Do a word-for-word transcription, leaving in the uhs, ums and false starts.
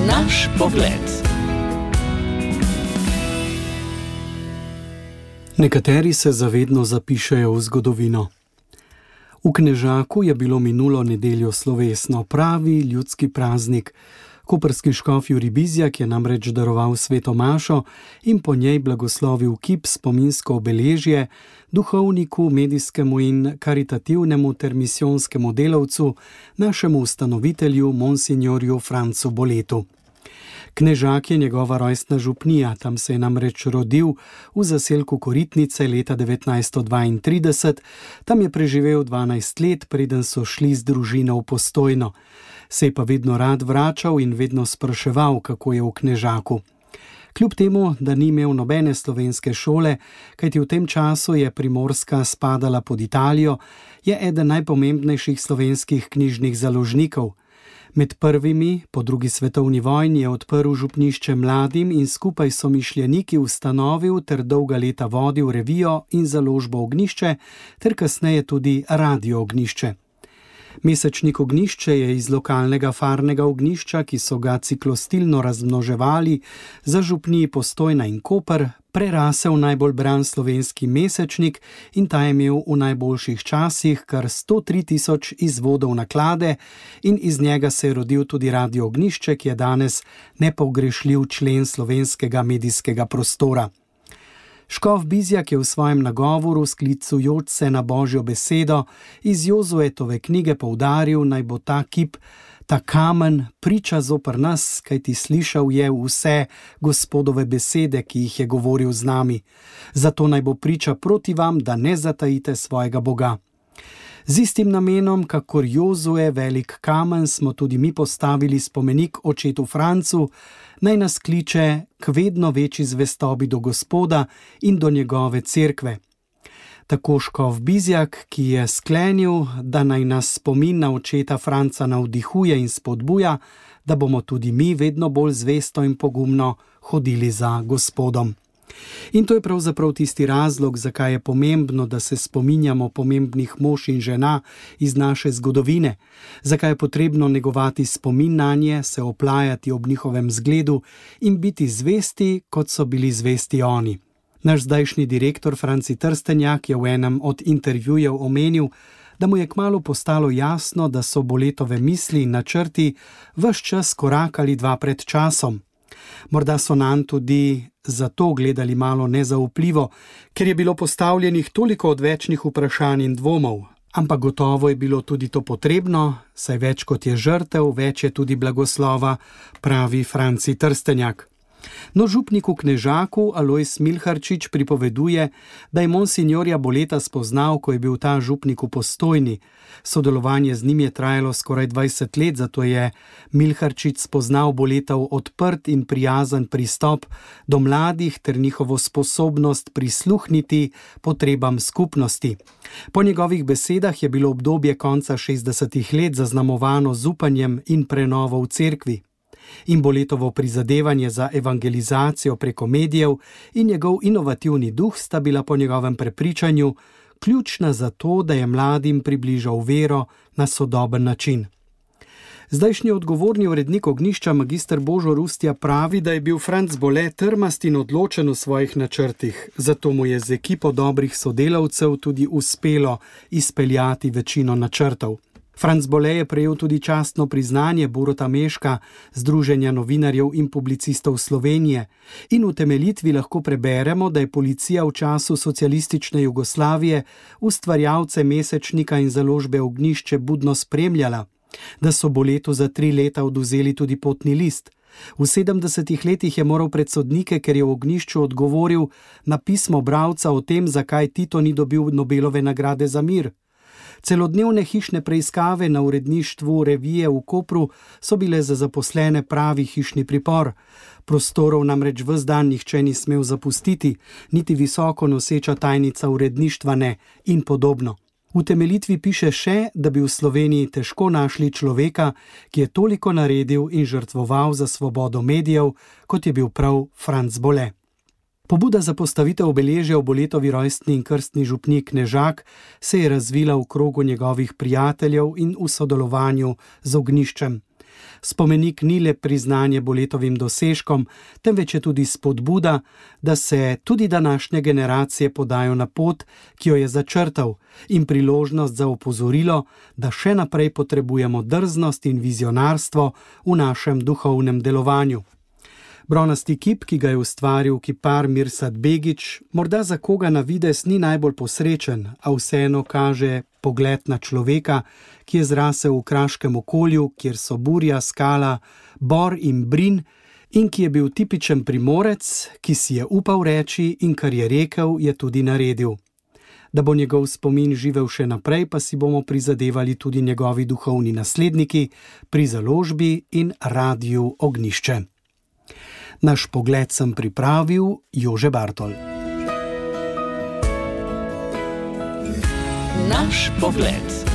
Naš pogled. Nekateri se zavedno zapišejo v zgodovino. V Knežaku je bilo minulo nedeljo slovesno, pravi ljudski praznik. Koprski škof Jurij Bizjak je namreč daroval sveto mašo in po njej blagoslovil kip spominsko obeležje duhovniku, medijskemu in karitativnemu ter misijonskemu delavcu, našemu ustanovitelju, monsinjorju Francu Boletu. Knežak je njegova rojstna župnija, tam se je namreč rodil v zaselku Koritnice leta devetnajststo dvaintrideset, tam je preživel dvanajst let, preden so šli z družino v Postojno. Se je pa vedno rad vračal in vedno spraševal, kako je v Knežaku. Kljub temu, da ni imel nobene slovenske šole, kajti v tem času je Primorska spadala pod Italijo, je eden najpomembnejših slovenskih knjižnih založnikov. Med prvimi po drugi svetovni vojni je odprl župnišče mladim in skupaj s somišljeniki ustanovil ter dolga leta vodil revijo in založbo Ognjišče ter kasneje tudi radio Ognjišče. Mesečnik Ognjišče je iz lokalnega farnega ognjišča, ki so ga ciklostilno razmnoževali za župniji Postojna in Koper, prerasel najbolj bran slovenski mesečnik in ta je imel v najboljših časih kar sto tri tisoč izvodov naklade in iz njega se je rodil tudi radio Ognjišče, ki je danes nepogrešljiv člen slovenskega medijskega prostora. Škof Bizjak je v svojem nagovoru, sklicujoč se na Božjo besedo, iz Jozuetove knjige poudaril, naj bo ta kip, ta kamen, priča zoper nas, kajti slišal je vse Gospodove besede, ki jih je govoril z nami. Zato naj bo priča proti vam, da ne zatajite svojega Boga. Z istim namenom, kakor Jozue velik kamen, smo tudi mi postavili spomenik očetu Francu, naj nas kliče k vedno večji zvestobi do Gospoda in do njegove cerkve. Tako škof Bizjak, ki je sklenil, da naj nas spomin na očeta Franca navdihuje in spodbuja, da bomo tudi mi vedno bolj zvesto in pogumno hodili za Gospodom. In to je pravzaprav tisti razlog, zakaj je pomembno, da se spominjamo pomembnih mož in žena iz naše zgodovine, zakaj je potrebno negovati spomin nanje, se oplajati ob njihovem zgledu in biti zvesti, kot so bili zvesti oni. Naš zdajšnji direktor Franci Trstenjak je v enem od intervjujev omenil, da mu je kmalu postalo jasno, da so Boletove misli in načrti ves čas korakali dva pred časom. Morda so nanj tudi zato gledali malo nezaupljivo, ker je bilo postavljenih toliko odvečnih vprašanj in dvomov. Ampak gotovo je bilo tudi to potrebno, saj več kot je žrtev, več je tudi blagoslova, pravi Franci Trstenjak. No, župnik v Knežaku Alojz Milharčič pripoveduje, da je monsinjorja Boleta spoznal, ko je bil ta župnik v Postojni. Sodelovanje z njim je trajalo skoraj dvajset let, zato je Milharčič spoznal Boletov odprt in prijazen pristop do mladih ter njihovo sposobnost prisluhniti potrebam skupnosti. Po njegovih besedah je bilo obdobje konca šestdesetih let zaznamovano z upanjem in prenovo v cerkvi. In Boletovo prizadevanje za evangelizacijo preko medijev in njegov inovativni duh sta bila po njegovem prepričanju ključna za to, da je mladim približal vero na sodoben način. Zdajšnji odgovorni urednik Ognjišča magister Božo Rustja pravi, da je bil Franc Bole trmast in odločen v svojih načrtih, zato mu je z ekipo dobrih sodelavcev tudi uspelo izpeljati večino načrtov. Franc Bole je prejel tudi častno priznanje Boruta Meška, Združenja novinarjev in publicistov Slovenije, in v temeljitvi lahko preberemo, da je policija v času socialistične Jugoslavije ustvarjalce mesečnika in založbe Ognjišče budno spremljala, da so Boletu za tri leta odvzeli tudi potni list. V sedemdesetih letih je moral pred sodnike, ker je v Ognjišču odgovoril na pismo bralca o tem, zakaj Tito ni dobil Nobelove nagrade za mir. Celodnevne hišne preiskave na uredništvu revije v Kopru so bile za zaposlene pravi hišni pripor. Prostorov namreč ves dan nihče ni smel zapustiti, niti visoko noseča tajnica uredništva ne in podobno. V temeljitvi piše še, da bi v Sloveniji težko našli človeka, ki je toliko naredil in žrtvoval za svobodo medijev, kot je bil prav Franc Bole. Pobuda za postavitev obeležja v Boletovi rojstni in krstni župniji Knežak se je razvila v krogu njegovih prijateljev in v sodelovanju z Ognjiščem. Spomenik ni le priznanje Boletovim dosežkom, temveč je tudi spodbuda, da se tudi današnje generacije podajo na pot, ki jo je začrtal, in priložnost za opozorilo, da še naprej potrebujemo drznost in vizionarstvo v našem duhovnem delovanju. Bronasti kip, ki ga je ustvaril kipar Mirsad Begić, morda za koga na videz ni najbolj posrečen, a vseeno kaže pogled na človeka, ki je zrasel v kraškem okolju, kjer so burja, skala, bor in brin, in ki je bil tipičen Primorec, ki si je upal reči in kar je rekel, je tudi naredil. Da bo njegov spomin živel še naprej, pa si bomo prizadevali tudi njegovi duhovni nasledniki pri založbi in Radiu Ognjišče. Naš pogled sem pripravil Jože Bartol. Naš pogled.